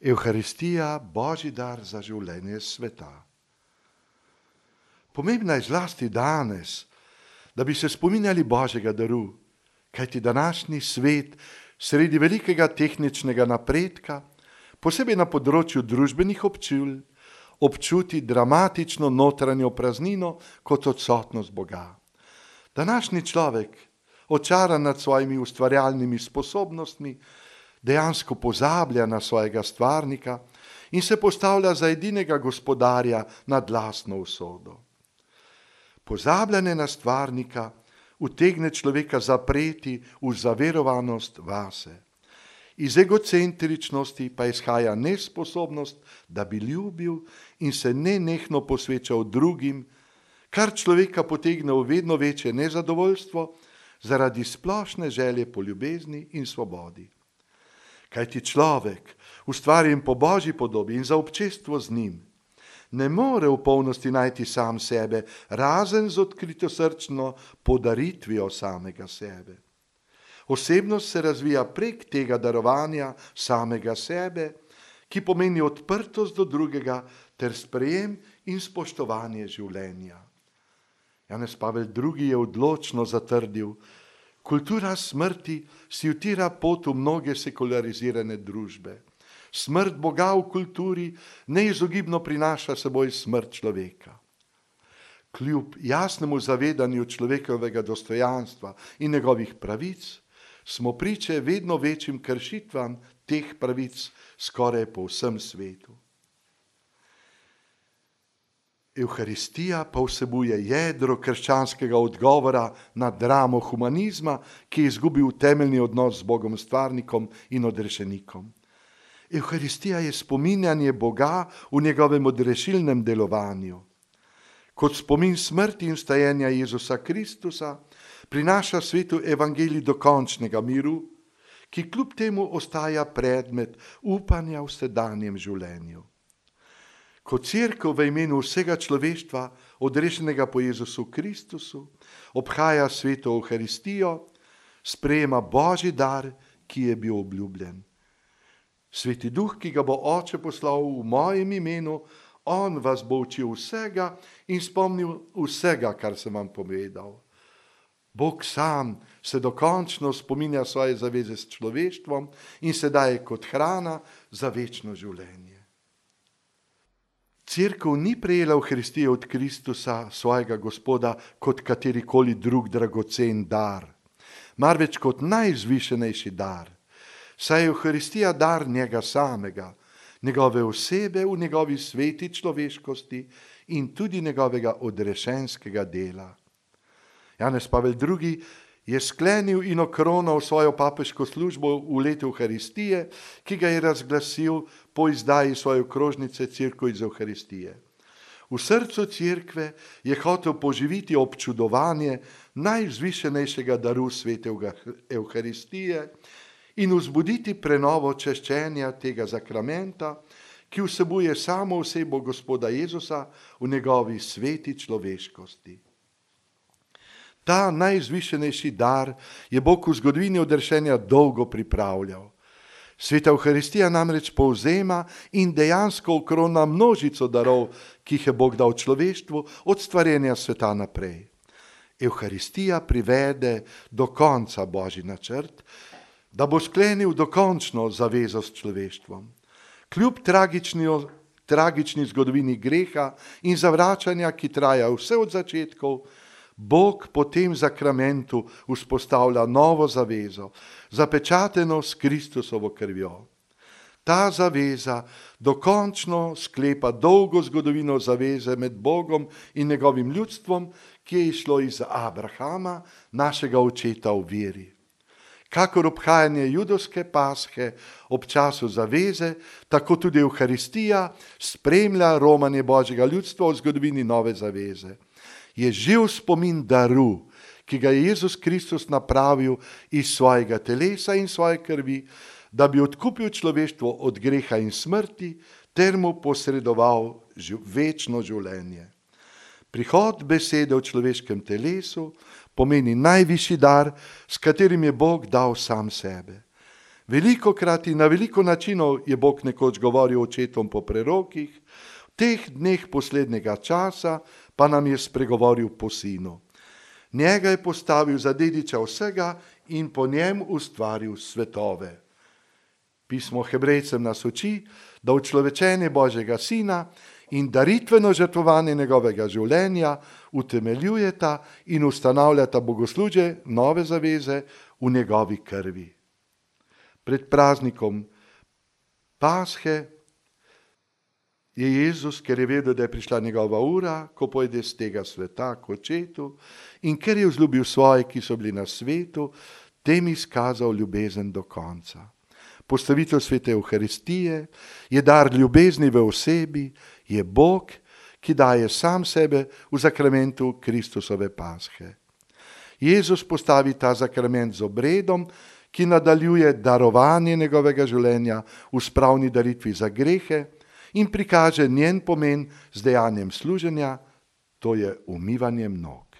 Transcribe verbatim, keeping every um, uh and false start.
Evharistija, Božji dar za življenje sveta. Pomembna je zlasti danes, da bi se spominjali Božjega daru, kajti današnji svet sredi velikega tehničnega napredka, posebej na področju družbenih občul, občuti dramatično notranjo praznino kot odsotnost Boga. Današnji človek, očaran nad svojimi ustvarjalnimi sposobnostmi, dejansko pozablja na svojega stvarnika in se postavlja za edinega gospodarja nad lastno usodo. Pozabljanje na stvarnika utegne človeka zapreti v zaverovanost vase. Iz egocentričnosti pa izhaja nesposobnost, da bi ljubil in se nenehno posvečal drugim, kar človeka potegne v vedno večje nezadovoljstvo zaradi splošne želje po ljubezni in svobodi. Kajti človek, ustvarjen po Božji podobi in za občestvo z njim, ne more v polnosti najti sam sebe, razen z odkritosrčno podaritvijo samega sebe. Osebnost se razvija prek tega darovanja samega sebe, ki pomeni odprtost do drugega ter sprejem in spoštovanje življenja. Janez Pavel drugi. Je odločno zatrdil: kultura smrti si utira pot v mnoge sekularizirane družbe. Smrt Boga v kulturi neizogibno prinaša seboj smrt človeka. Kljub jasnemu zavedanju človekovega dostojanstva in njegovih pravic, smo priče vedno večjim kršitvam teh pravic skoraj po vsem svetu. Evharistija pa vsebuje jedro krščanskega odgovora na dramo humanizma, ki je izgubil temeljni odnos z Bogom stvarnikom in odrešenikom. Evharistija je spominjanje Boga v njegovem odrešilnem delovanju. Kot spomin smrti in vstajenja Jezusa Kristusa prinaša svetu evangelij dokončnega miru, ki kljub temu ostaja predmet upanja v sedanjem življenju. Kot cerkev v imenu vsega človeštva, odrešenega po Jezusu Kristusu, obhaja sveto Evharistijo, sprejema Božji dar, ki je bil obljubljen. Sveti Duh, ki ga bo Oče poslal v mojem imenu, on vas bo učil vsega in spomnil vsega, kar sem vam povedal. Bog sam se dokončno spominja svoje zaveze s človeštvom in se daje kot hrana za večno življenje. Cerkev ni prejela Evharistije od Kristusa, svojega Gospoda, kot katerikoli drug dragocen dar, marveč kot najzvišenejši dar. Saj je Evharistija dar njega samega, njegove osebe v njegovi sveti človeškosti in tudi njegovega odrešenskega dela. Janez Pavel drugi. Je sklenil in okronal svojo papeško službo v letu Evharistije, ki ga je razglasil po izdaji svoje okrožnice Cerkev iz Evharistije. V srcu cerkve je hotel poživiti občudovanje najvzvišenejšega daru svete Evharistije in vzbuditi prenovo češčenja tega zakramenta, ki vsebuje samo osebo Gospoda Jezusa v njegovi sveti človeškosti. Ta najzvišenejši dar je Bog v zgodovini odrešenja dolgo pripravljal. Sveta Evharistija namreč povzema in dejansko okrona množico darov, ki jih je Bog dal človeštvu od stvarjenja sveta naprej. Evharistija privede do konca Božji načrt, da bo sklenil dokončno zavezo s človeštvom. Kljub tragični, tragični zgodovini greha in zavračanja, ki traja vse od začetkov, Bog po tem zakramentu vzpostavlja novo zavezo, zapečateno s Kristusovo krvjo. Ta zaveza dokončno sklepa dolgo zgodovino zaveze med Bogom in njegovim ljudstvom, ki je išlo iz Abrahama, našega očeta v veri. Kakor obhajanje judovske pashe ob času zaveze, tako tudi Evharistija spremlja romanje Božjega ljudstva v zgodovini nove zaveze. Je živ spomin daru, ki ga je Jezus Kristus napravil iz svojega telesa in svoje krvi, da bi odkupil človeštvo od greha in smrti ter mu posredoval večno življenje. Prihod besede v človeškem telesu pomeni najvišji dar, s katerim je Bog dal sam sebe. Velikokrat in na veliko načinov je Bog nekoč govoril očetom po prerokih, v teh dneh poslednjega časa pa nam je spregovoril po sinu. Njega je postavil za dediča vsega in po njem ustvaril svetove. Pismo Hebrejcem nas uči, da učlovečenje Božjega sina in daritveno žrtvovanje njegovega življenja utemeljujeta in ustanavljata bogoslužje nove zaveze v njegovi krvi. Pred praznikom Pashe je Jezus, ker je vedel, da je prišla njegova ura, ko pojde z tega sveta k očetu, in ker je vzljubil svoje, ki so bili na svetu, tem izkazal ljubezen do konca. Postavitev svete Evharistije je dar ljubezni v osebi, je Bog, ki daje sam sebe v zakramentu Kristusove Pashe. Jezus postavi ta zakrament z obredom, ki nadaljuje darovanje njegovega življenja v spravni daritvi za grehe in prikaže njen pomen z dejanjem služenja, to je umivanjem nog.